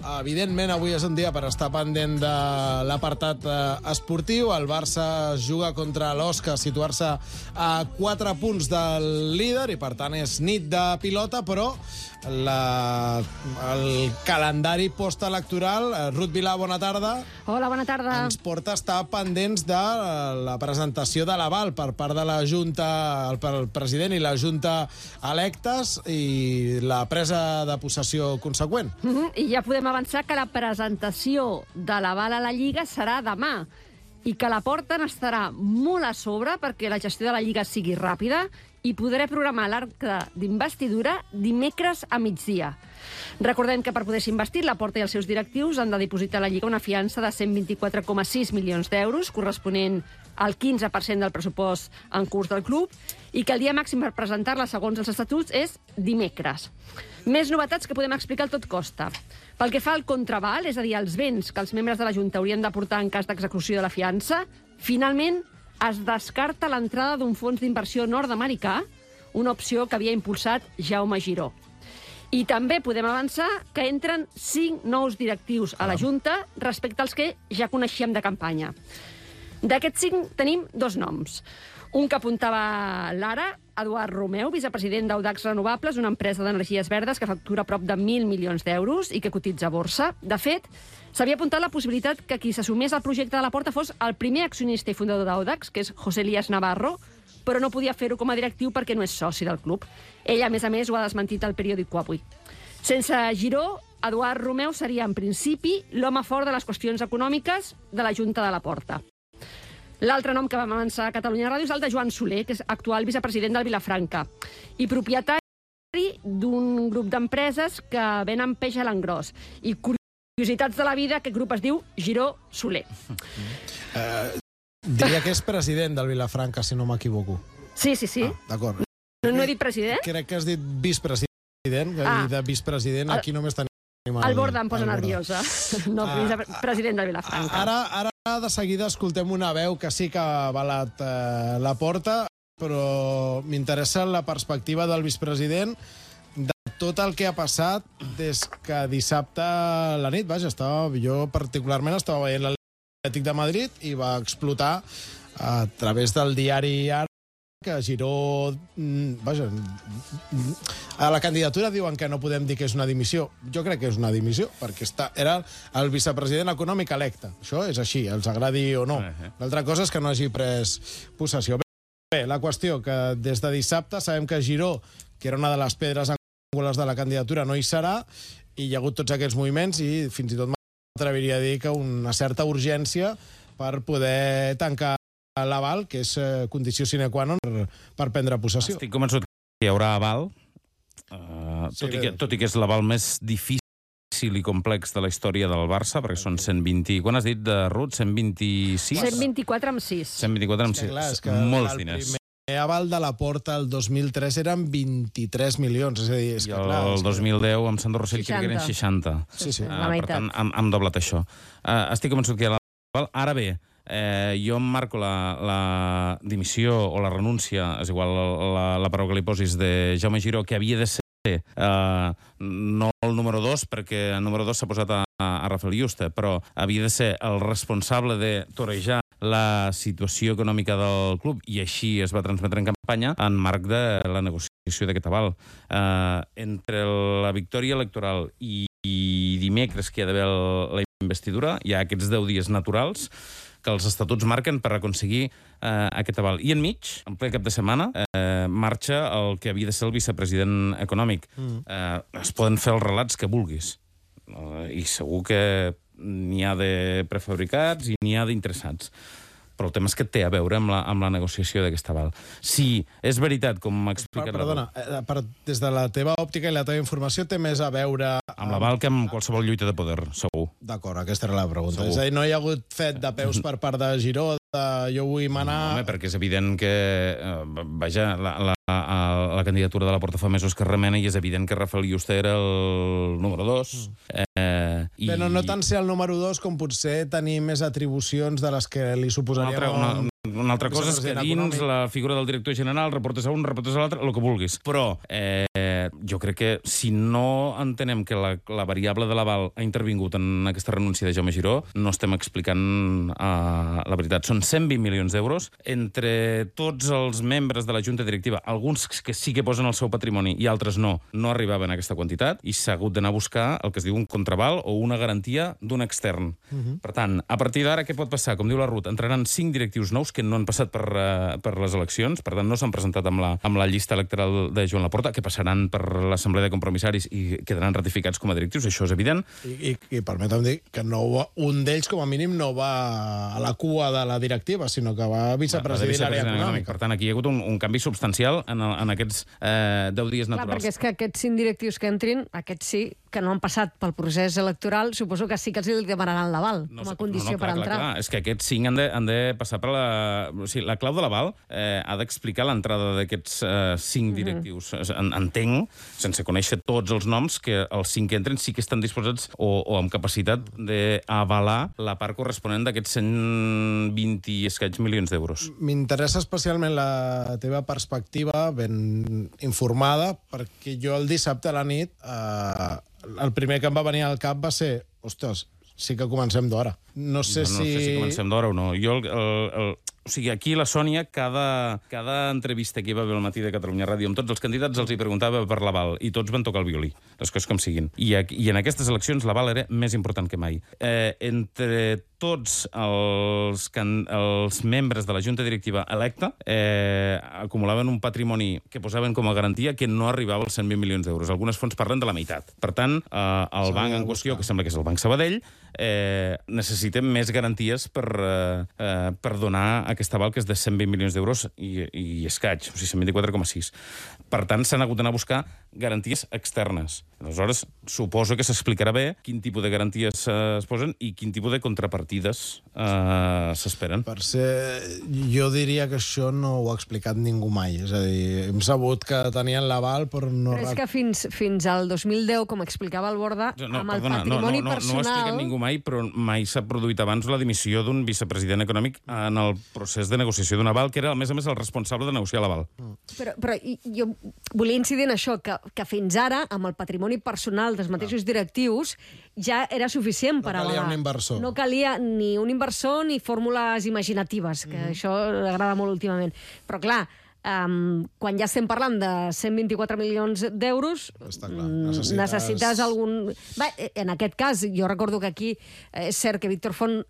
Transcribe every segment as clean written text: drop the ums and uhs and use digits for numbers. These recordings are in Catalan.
Evidentment, avui és un dia per estar pendent de l'apartat esportiu. El Barça juga contra l'Osca, situar-se a 4 punts del líder i, per tant, és nit de pilota, però el calendari postelectoral, Ruth Vilà, bona tarda. Hola, bona tarda. Ens porta a estar pendents de la presentació de l'aval per part de la Junta, el president i la Junta electes i la presa de possessió conseqüent. I ja podem avançar que la presentació de l'aval a la Lliga serà demà i que la Porta n'estarà molt a sobre perquè la gestió de la Lliga sigui ràpida i podré programar l'acte d'investidura dimecres a migdia. Recordem que per poder-se investir, la Porta i els seus directius han de dipositar a la Lliga una fiança de 124,6 milions d'euros, corresponent al 15% del pressupost en curs del club, i que el dia màxim per presentar-la, segons els estatuts, és dimecres. Més novetats que podem explicar al tot costa. Pel que fa al contraval, és a dir, els béns que els membres de la Junta haurien d'aportar en cas d'execució de la fiança, finalment es descarta l'entrada d'un fons d'inversió nord-americà, una opció que havia impulsat Jaume Giró. I també podem avançar que entren 5 nous directius a la Junta respecte als que ja coneixíem de campanya. D'aquests 5 tenim 2 noms. Un que apuntava l'ara, Eduard Romeu, vicepresident d'Audax Renovables, una empresa d'energies verdes que factura prop de 1.000 milions d'euros i que cotitza a borsa. De fet, s'havia apuntat la possibilitat que qui s'assumés al projecte de la Porta fos el primer accionista i fundador d'Audax, que és José Elías Navarro, però no podia fer-ho com a directiu perquè no és soci del club. Ell, a més, ho ha desmentit al periòdico Avui. Sense Giró, Eduard Romeu seria, en principi, l'home fort de les qüestions econòmiques de la Junta de la Porta. L'altre nom que vam avançar a Catalunya Ràdio és el de Joan Soler, que és actual vicepresident del Vilafranca, i propietari d'un grup d'empreses que venen peix a l'engròs. I curiositats de la vida, aquest grup es diu Giró Soler. Diria que és president del Vilafranca, si no m'equivoco. Sí. D'acord. No he dit president? Crec que has dit vicepresident, i de vicepresident aquí només tenim... El Borda em posa nerviosa. No, president del Vilafranca. Ara de seguida escoltem una veu que sí que ha avalat la Porta, però m'interessa la perspectiva del vicepresident de tot el que ha passat des que dissabte a la nit, jo particularment estava veient l'Atlètic de Madrid i va explotar a través del diari Ara que Giró... A la candidatura diuen que no podem dir que és una dimissió. Jo crec que és una dimissió, perquè era el vicepresident econòmic electe. Això és així, els agradi o no. L'altra cosa és que no hagi pres possessió. Bé, la qüestió que des de dissabte sabem que Giró, que era una de les pedres angulars de la candidatura, no hi serà, i hi ha hagut tots aquests moviments i fins i tot m'atreviria a dir que una certa urgència per poder tancar l'aval, que és condició sine qua non per prendre possessió. Estic convençut que hi haurà aval, tot i que és l'aval més difícil i complex de la història del Barça, perquè són 120... Quan has dit, de Ruth? 126? 124 amb 6. 124 amb 6. Molts diners. El primer aval de la Porta el 2003 eren 23 milions. És a dir, és que, el 2010 amb Sandro Rossell crec que eren 60. Sí. La meitat. Per tant, hem doblat això. Estic convençut que hi ha l'aval. Ara bé, jo em marco la dimissió o la renúncia, és igual la paraula que li posis, de Jaume Giró, que havia de ser no el número 2, perquè el número 2 s'ha posat a Rafael Yuste, però havia de ser el responsable de torejar la situació econòmica del club, i així es va transmetre en campanya en marc de la negociació d'aquest aval. Entre la victòria electoral i dimecres que hi ha d'haver la investidura, hi ha aquests 10 dies naturals que els estatuts marquen per aconseguir aquest aval. I enmig, en ple cap de setmana, marxa el que havia de ser el vicepresident econòmic. Es poden fer els relats que vulguis. I segur que n'hi ha de prefabricats i n'hi ha d'interessats. Però el tema és que té a veure amb la negociació d'aquest aval. Si és veritat, com m'ha explicat... Perdona, des de la teva òptica i la teva informació té més a veure... Amb l'aval que amb qualsevol lluita de poder, segur. D'acord, aquesta era la pregunta. És a dir, no hi ha hagut fet de peus per part de Giró, de jo vull manar... No, home, perquè és evident que... Vaja, la candidatura de la Porta fa mesos que remena i és evident que Rafael Yuste era el número 2. Però no tant ser el número 2 com potser tenir més atribucions de les que li suposarien una altra cosa és que dins la figura del director general reportes a un, reportes a l'altre, el que vulguis. Però jo crec que si no entenem que la variable de l'aval ha intervingut en aquesta renúncia de Jaume Giró, no estem explicant la veritat. Són 120 milions d'euros entre tots els membres de la Junta Directiva, alguns que sí que posen el seu patrimoni i altres no arribaven a aquesta quantitat, i s'ha hagut d'anar a buscar el que es diu un contraval o una garantia d'un extern. Per tant, a partir d'ara, què pot passar? Com diu la Ruth, entraran 5 directius nous que no han passat per les eleccions, per tant, no s'han presentat amb la llista electoral de Joan Laporta, que passaran per l'Assemblea de Compromissaris i quedaran ratificats com a directius, això és evident. I permetem dir que un d'ells, com a mínim, no va a la cua de la directiva, sinó que va a vicepresident l'àrea econòmica. Per tant, aquí hi ha hagut un canvi substancial en aquests 10 dies naturals. Clar, perquè és que aquests 5 directius que entrin, aquests sí, que no han passat pel procés electoral, suposo que sí que els demanaran l'aval com a condició per entrar. Clar. És que aquests 5 han de passar per la... O sigui, la clau de l'aval ha d'explicar l'entrada d'aquests 5 directius. Entenc, sense conèixer tots els noms, que els 5 que entren sí que estan disposats o amb capacitat d'avalar la part corresponent d'aquests 120 i escaig milions d'euros. M'interessa especialment la teva perspectiva ben informada, perquè jo el dissabte a la nit el primer que em va venir al cap va ser, ostres, sí que comencem d'hora. No sé si comencem d'hora o no. O sigui, aquí la Sònia, cada entrevista que hi va haver al matí de Catalunya Ràdio amb tots els candidats els hi preguntava per l'aval, i tots van tocar el violí, les coses com siguin. I en aquestes eleccions l'aval era més important que mai. Entre tots els membres de la Junta Directiva electa acumulaven un patrimoni que posaven com a garantia que no arribava als 120 milions d'euros. Algunes fonts parlen de la meitat. Per tant, el banc en qüestió, que sembla que és el Banc Sabadell, necessitem més garanties per donar aquest aval, que és de 120 milions d'euros i escaig, o sigui, 124,6. Per tant, s'han hagut d'anar a buscar garanties externes. Aleshores, suposo que s'explicarà bé quin tipus de garanties es posen i quin tipus de contrapartides s'esperen. Per ser... Jo diria que això no ho ha explicat ningú mai. És a dir, hem sabut que tenien l'aval, però no... Però és que fins al 2010, com explicava el Borda, amb el patrimoni personal... No ho ha explicat ningú mai, però mai s'ha produït abans la dimissió d'un vicepresident econòmic en el procés de negociació d'un aval, que era, a més, el responsable de negociar l'aval. Però jo volia incidir en això, que fins ara, amb el patrimoni personal dels mateixos directius, ja era suficient per avalar. No calia un inversor. No calia ni un inversor ni fórmules imaginatives, que això agrada molt últimament. Però, clar, quan ja estem parlant de 124 milions d'euros, necessites algun... Bé, en aquest cas, jo recordo que aquí és cert que Víctor Font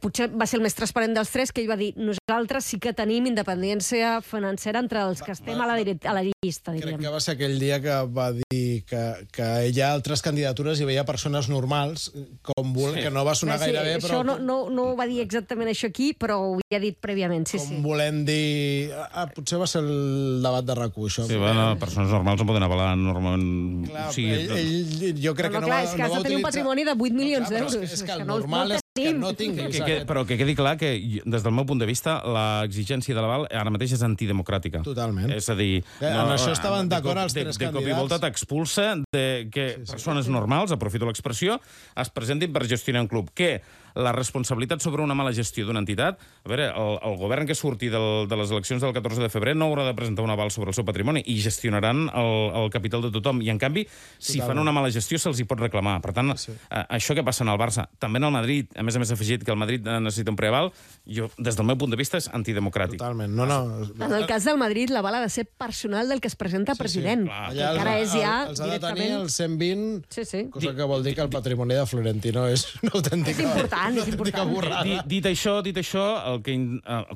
potser va ser el més transparent dels tres, que ell va dir, nosaltres sí que tenim independència financera entre els que estem a la llista, diríem. Crec que va ser aquell dia que va dir que hi ha altres candidatures i veia persones normals, que no va sonar gaire bé, però... Això no va dir exactament això aquí, però ho havia dit prèviament, sí. Com volem dir... Potser va ser el debat de RAC1, això. Sí, bueno, persones normals no poden avalar normalment... Clar, jo crec que no va utilitzar... És que has de tenir un patrimoni de 8 milions d'euros. És que el normal és que no tinguis... Però que quedi clar que, des del meu punt de vista, l'exigència de l'aval ara mateix és antidemocràtica. Totalment. És a dir... En això estaven d'acord els tres candidats. De cop i volta t'expulsa que persones normals, aprofito l'expressió, es presentin per gestionar un club. Que la responsabilitat sobre una mala gestió d'una entitat... A veure, el govern que surti de les eleccions del 14 de febrer no haurà de presentar un aval sobre el seu patrimoni i gestionaran el capital de tothom. I, en canvi, si fan una mala gestió, se'ls hi pot reclamar. Per tant, això que passa en el Barça, també en el Madrid, a més afegit que el Madrid necessita un preaval, jo, des del meu punt de vista, és antidemocràtic. Totalment. En el cas del Madrid, l'aval ha de ser personal del que es presenta president. Allà els ha de tenir el 120, cosa que vol dir que el patrimoni de Florentino és una autèntica... És important. Dit això, el que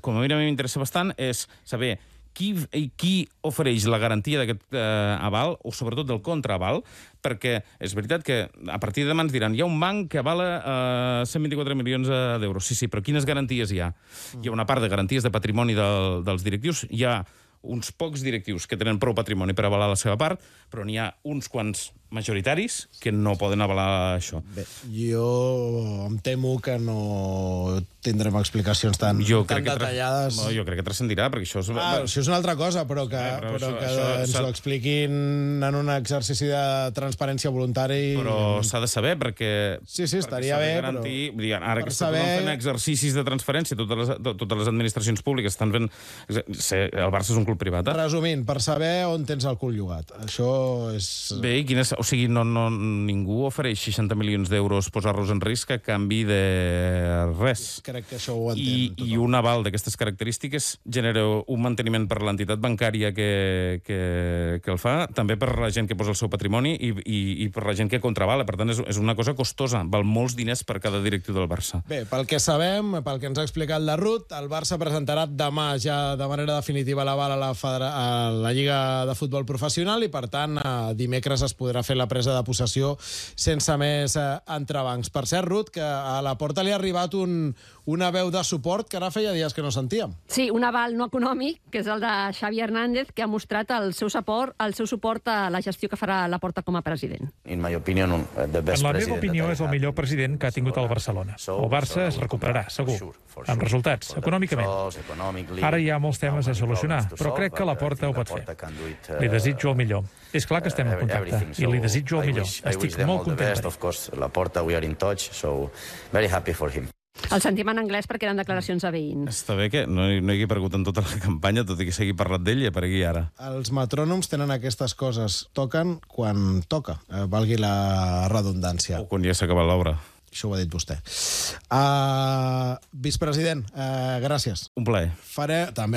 com a mi m'interessa bastant és saber qui ofereix la garantia d'aquest aval, o sobretot del contraaval, perquè és veritat que a partir de demà ens diran hi ha un banc que avala 124 milions d'euros. Sí, però quines garanties hi ha? Hi ha una part de garanties de patrimoni dels directius, hi ha uns pocs directius que tenen prou patrimoni per avalar la seva part, però n'hi ha uns quants majoritaris que no poden avalar això. Bé, jo em temo que no tindrem explicacions tan detallades. Jo crec que transcendirà, perquè això... Això és una altra cosa, però que ens ho expliquin en un exercici de transparència voluntari... Però s'ha de saber, perquè... Sí, estaria bé, però... Ara que estan fent exercicis de transparència, totes les administracions públiques estan fent... El Barça és un club privat, Resumint, per saber on tens el cul llogat. Això és... Bé, o sigui, ningú ofereix 60 milions d'euros posar-los en risc a canvi de res. Crec que això ho entén tothom. I un aval d'aquestes característiques genera un manteniment per l'entitat bancària que el fa, també per la gent que posa el seu patrimoni i per la gent que contravala. Per tant, és una cosa costosa. Val molts diners per cada directiu del Barça. Bé, pel que sabem, pel que ens ha explicat la Ruth, el Barça presentarà demà ja de manera definitiva l'aval a la Lliga de Futbol Professional i, per tant, dimecres es podrà fer la presa de possessió sense més entrebancs. Per cert, Ruth, que a la Porta li ha arribat una veu de suport que ara feia dies que no sentíem. Sí, un aval no econòmic, que és el de Xavi Hernández, que ha mostrat el seu suport a la gestió que farà la Porta com a president. En la meva opinió, és el millor president que ha tingut el Barcelona. El Barça es recuperarà, segur, amb resultats, econòmicament. Ara hi ha molts temes a solucionar, però crec que la Porta ho pot fer. Li desitjo el millor. És clar que estem en contacte, i li desitjo el millor. Estic molt content per ell. El sentim en anglès perquè eren declaracions a veïns. Està bé que no hi hagi aparegut en tota la campanya, tot i que s'hagi parlat d'ell i aparegui ara. Els metrònoms tenen aquestes coses. Toquen quan toca, valgui la redundància. O quan ja s'ha acabat l'obra. Això ho ha dit vostè. Vicepresident, gràcies. Un plaer. Faré també el